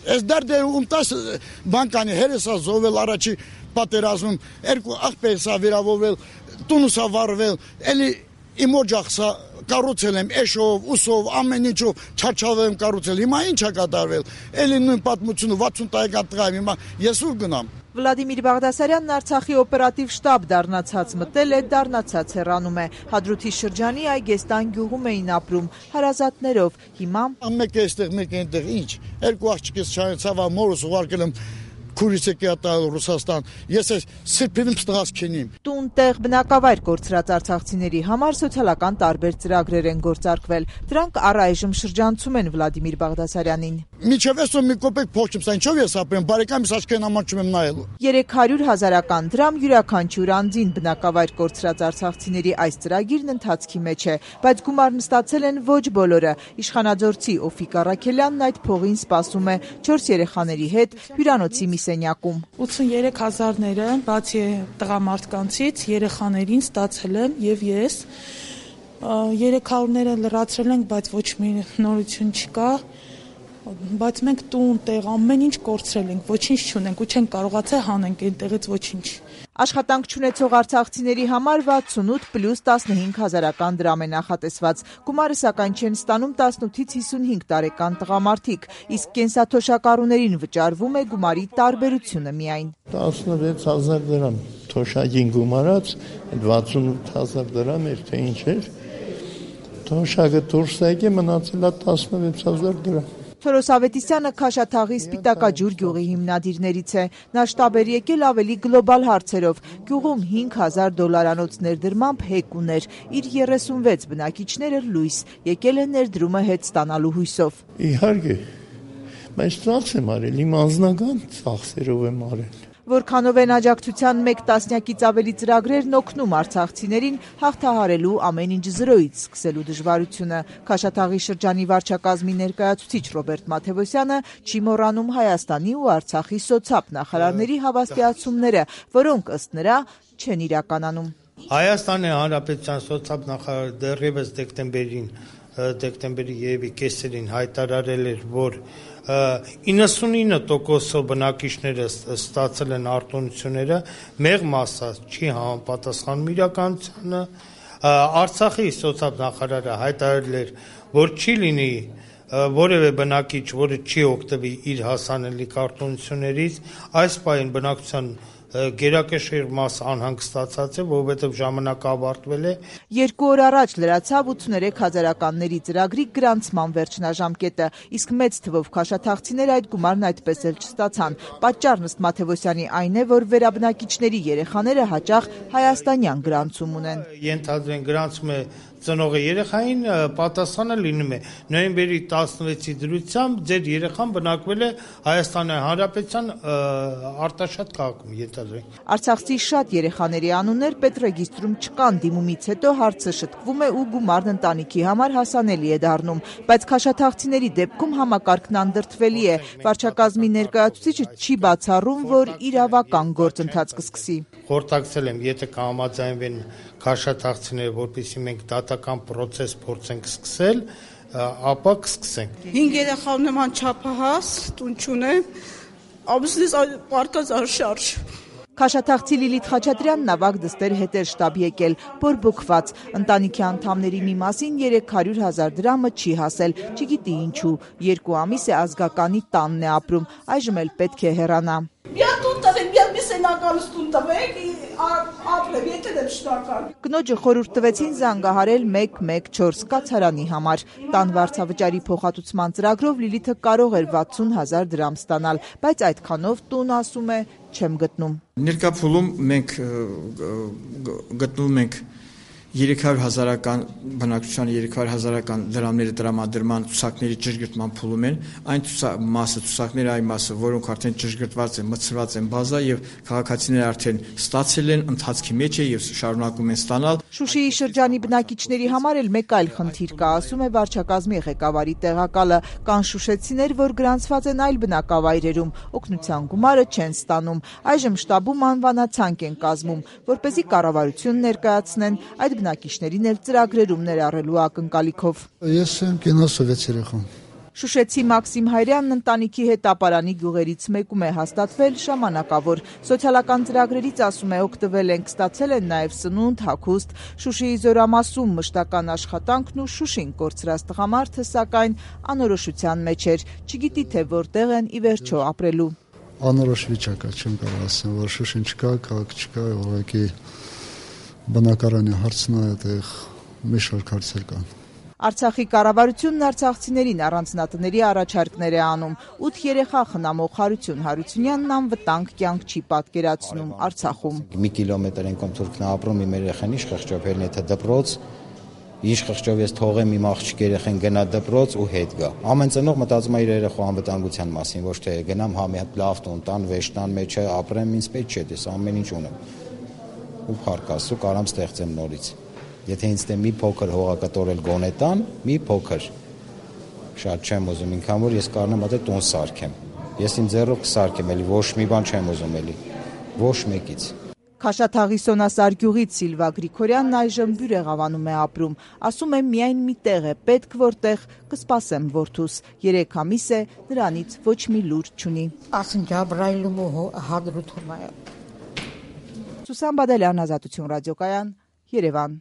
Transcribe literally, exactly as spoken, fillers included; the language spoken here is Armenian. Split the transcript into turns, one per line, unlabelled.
Այս դարդերը ումտաս բանկանի հերեսա զովել առաջի պատերազմում, երկու աղբերսա վիրավորվել, տունուսա վարվել, էլի իմ օջախսա կառուցել եմ էշով, ուսով, ամեն ինչով չարչավ եմ կառուցել, հիմա ինչ է կատարվել, էլի նույն պատմությունը վաթսուն տարեկան տղա եմ, հիմա ես ուր գնամ։
Վլադիմիր Բաղդասարյանն Արցախի օպերատիվ շտաբ դառնացած մտել է, դառնացած հեռանում է։ Հադրութի շրջանի Այգեստան գյուղում էին ապրում, հարազատներով, հիմա
մեկ է այստեղ, մեկ է այնտեղ, ինչ, երկու աղջիկս չանեցավ, մորս ուղարկել եմ քուրից եկի ատալ Ռուսաստան, ես այս սրբինում ստղած քենիմ։
Տուն տեղ բնակավայր կորցրած արցախցիների համար սոցիալական տարբեր ծրագրեր են գործարկվել։ Դրանք առայժմ շրջանցում են Վլադիմիր Բաղդասարյանին։
Միջև այսօր մի կոպեկ փող չեմ, ինչով ես ապրեմ, բարեկամիս աչքերն ամանչում եմ նայելու։
երեք հարյուր հազարական դրամ յուրաքանչյուր անձին բնակավայր կորցրած արցախցիների այս ծրագիրն ընթացքի մեջ է, բայց գումարն ստացել են ոչ բոլորը։ Իշխանաձորցի Օֆիկ Առաքելյանն այդ փողին սպասում է չորս երեխաների հետ հյուրանոցի մի սենյակում։
ութսուններեք հազարները, բացի տղամարդկանցից, երեխաներին ստացել եմ եւ ես։ երեք հարյուրները լրացրել ենք, բայց ոչ մի նորություն չկա։ Բայց մենք տուն, տեղ, ամեն ինչ կորցրել ենք, ոչինչ չունենք ու չենք կարողացել հանենք այնտեղից ոչինչ։
Աշխատանք չունեցող արցախցիների համար վաթսունութ պլյուս տասնհինգ հազարական դրամ է նախատեսված։ Գումարը սակայն չեն ստանում տասնութից հիսունհինգ տարեկան տղամարդիկ, իսկ կենսաթոշակառուներին վճարվում է գումարի տարբերությունը միայն։
տասնվեց հազար դրամ թոշակին գումարած, վաթսունութ հազար դրամ էր, թե ինչ էր։ Թոշակը դուրս եկե, մնացել է տասնվեց հազար դրամ։
Թորոս Ավետիսյանը Քաշաթաղի Սպիտակաջուր գյուղի հիմնադիրներից է։ Նա շտաբ էր եկել ավելի գլոբալ հարցերով։ Գյուղում հինգ հազար դոլարանոց ներդրմամբ հեկ ուներ։ Իր երեսունվեց բնակիչները լույս, եկել է ներդրումը հետ ստանալու հույսով։
Իհարկե, բայց ծախս եմ արել, իմ անձնական ծախսերով եմ արել։
Որքանով են աջակցության մեկ տասնյակից ավելի ծրագրերն օգնում արցախցիներին հաղթահարելու ամեն ինչ զրոյից սկսելու դժվարությունը։ Քաշաթաղի շրջանի վարչակազմի ներկայացուցիչ Ռոբերտ Մաթևոսյանը չի մոռանում Հայաստանի ու Արցախի սոցապ նախարարների հավաստիացումները, որոնք ըստ նրա չեն իրականանում։
Հայաստանի Հանրապետության սոցապ նախարարը դեռևս դեկտեմբերին դեկտեմբերի երևի կեսերին հայտարարել էր, որ իննսունինը տոկոսով բնակիչները ստացել են արտոնությունները, մեկ մասը չի համապատասխանում իրականությանը։ Արցախի սոցիալ նախարարը հայտարարել էր, որ չի լինի որևէ բնակիչ, որը չի օգտվի իր հասանելիք արտոնություններից, այս պահին բնակչության գերակշիռ մասը անհանգստացած է, որովհետև ժամանակը ավարտվել է։
Երկու օր առաջ լրացավ ութսուներեք հազարականների ծրագրի գրանցման վերջնաժամկետը, իսկ մեծ թվով քաշաթաղցիներ այդ գումարն այդպես էլ չստացան։ Պատճառն ըստ Մաթևոսյանի այն է, որ վերաբնակիչների երեխաները հաճախ հայաստանյան գրանցում ունեն։
Ենթադրեն գրանցում է ծնողը երեխային, պատասխանը լինում է նոյեմբերի տասնվեցի դրությամբ ձեր երեխան բնակվել է Հայաստանի Հանրապետության Արտաշատ քաղաքում, ենթադրենք։
Արցախցի շատ երեխաների անուններ պետռեգիստրում չկան, դիմումից հետո հարցը շտկվում է ու գումարն ընտանիքի համար հասանելի է դառնում, բայց քաշաթաղցիների դեպքում համակարգն անդրդվելի է։ Վարչակազմի ներկայացուցիչը չի բացառում, որ իրավական գործընթաց կսկսի։
Խորհրդակցել եմ, եթե կհամաձայնվեն քաշաթաղցիները, որպեսզի մենք դատական process փորձենք սկսել, ապա կսկսենք։
Հինգ երեխա ունեմ, անչափահաս, տուն չունեմ, ամուսնիս պարկած արշարժ։
Քաշաթաղցի Լիլիթ Խաչատրյանն ավագ դստեր հետ էր շտաբ եկել, բորբոքված։ Ընտանիքի անդամների մի մասին երեք հարյուր հազար դրամը չի հասել, չգիտի ինչու։ Երկու ամիս է ազգականի տանն է ապրում, այժմ էլ պետք է հեռանա։ Կնոջը խորհուրդ տվեցին զանգահարել մեկ մեկ չորս կացարանի համար։ Տան վարձավճարի փոխհատուցման ծրագրով Լիլիթը կարող էր վաթսուն հազար դրամ ստանալ, բայց այդքանով տուն, ասում է, չեմ գտնում։
Ներկա փուլում մենք գտնում ենք երեք հարյուր հազարական բնակչության երեք հարյուր հազարական դրամների տրամադրման ցուցակների ճշգրտման փուլում են, այն մասը ցուցակների այն մասը, որոնք արդեն ճշգրտված են, մտցված են բազա եւ քաղաքացիները արդեն ստացել են, ընթացքի մեջ է եւ շարունակում են ստանալ։
Շուշիի շրջանի բնակիչների համար էլ մեկ այլ խնդիր կա, ասում է վարչակազմի ղեկավարի տեղակալը։ Կան շուշեցիներ, որ գրանցված են այլ բնակավայրերում, օգնության գումարը չեն ստանում։ Այժմ շտաբում անվանացանկ են կազմում, որպեսզի կառավարություն ներկայացնեն այդ բնակիչներին էլ ծրագրերում ներառելու ակնկալիքով։
Ես եմ կենասովեց երեխան։
Շուշեցի Մաքսիմ Հայրյանն ընտանիքի հետ ապարանի գյուղերից մեկում է հաստատվել ժամանակավոր։ Սոցիալական ծրագրերից, ասում է, օգտվել ենք, ստացել են նաև սնունդ, հագուստ։ Շուշիի Զորամասում մշտական աշխատանքն ու Շուշին կորցրած տղամարդը, սակայն, անորոշության մեջ էր, չգիտի թե որտեղ են ի վերջո ապրելու։
Անորոշ վիճակ է, չեմ կարող ասեմ, որ Շուշին չկա, քաղաք չկա, ուղղակի բնակարանի հարցն է, այդտեղ մի շարք հարցեր կան։
Արցախի կառավարությունն արցախցիներին առանձնատների առաջարկներ է անում։ ութ երեխա խնամող Հարություն Հարությունյանն անվտանգ կյանք չի պատկերացնում Արցախում։
Մի կիլոմետր ենք Թուրքն ապրում, իմ երեխան ինչ խղճով ելնի թե դպրոց, ինչ խղճով ես թողեմ իմ աղջիկ երեխան գնա դպրոց ու հետ գա։ Ամեն ծնող մտածում է իր երեխու անվտանգության մասին, ոչ թե գնամ հա մի հատ լավ տուն տան, վեշտան մեջ ապրեմ, ինձ պետք չէ, ես ամեն ինչ ունեմ։ Ու փառք Աստծո, կարամ ստեղծեմ նորից։ Եթե ինձ դե մի փոքր հողակտորել գոնե տան, մի փոքր։ Շատ չեմ ուզում, ինքան որ ես կարողանամ այդտեղ տուն սարքեմ։ Ես իմ ձեռով կսարքեմ, էլի ոչ մի բան չեմ ուզում էլի։ Ոչ մեկից։
Քաշաթաղի Սոնասար գյուղից Սիլվա Գրիգորյանն այժմ Բյուրեղավանում է ապրում։ Ասում է, միայն մի տեղ է պետք, որտեղ կսպասեմ որդուս։ Երեք ամիս է, նրանից ոչ մի լուր չունի։
Ասում Ջաբրայիլում հադրութում է։
Սուսան Բադալյան, Ազատություն ռադիոկայան, Երևան։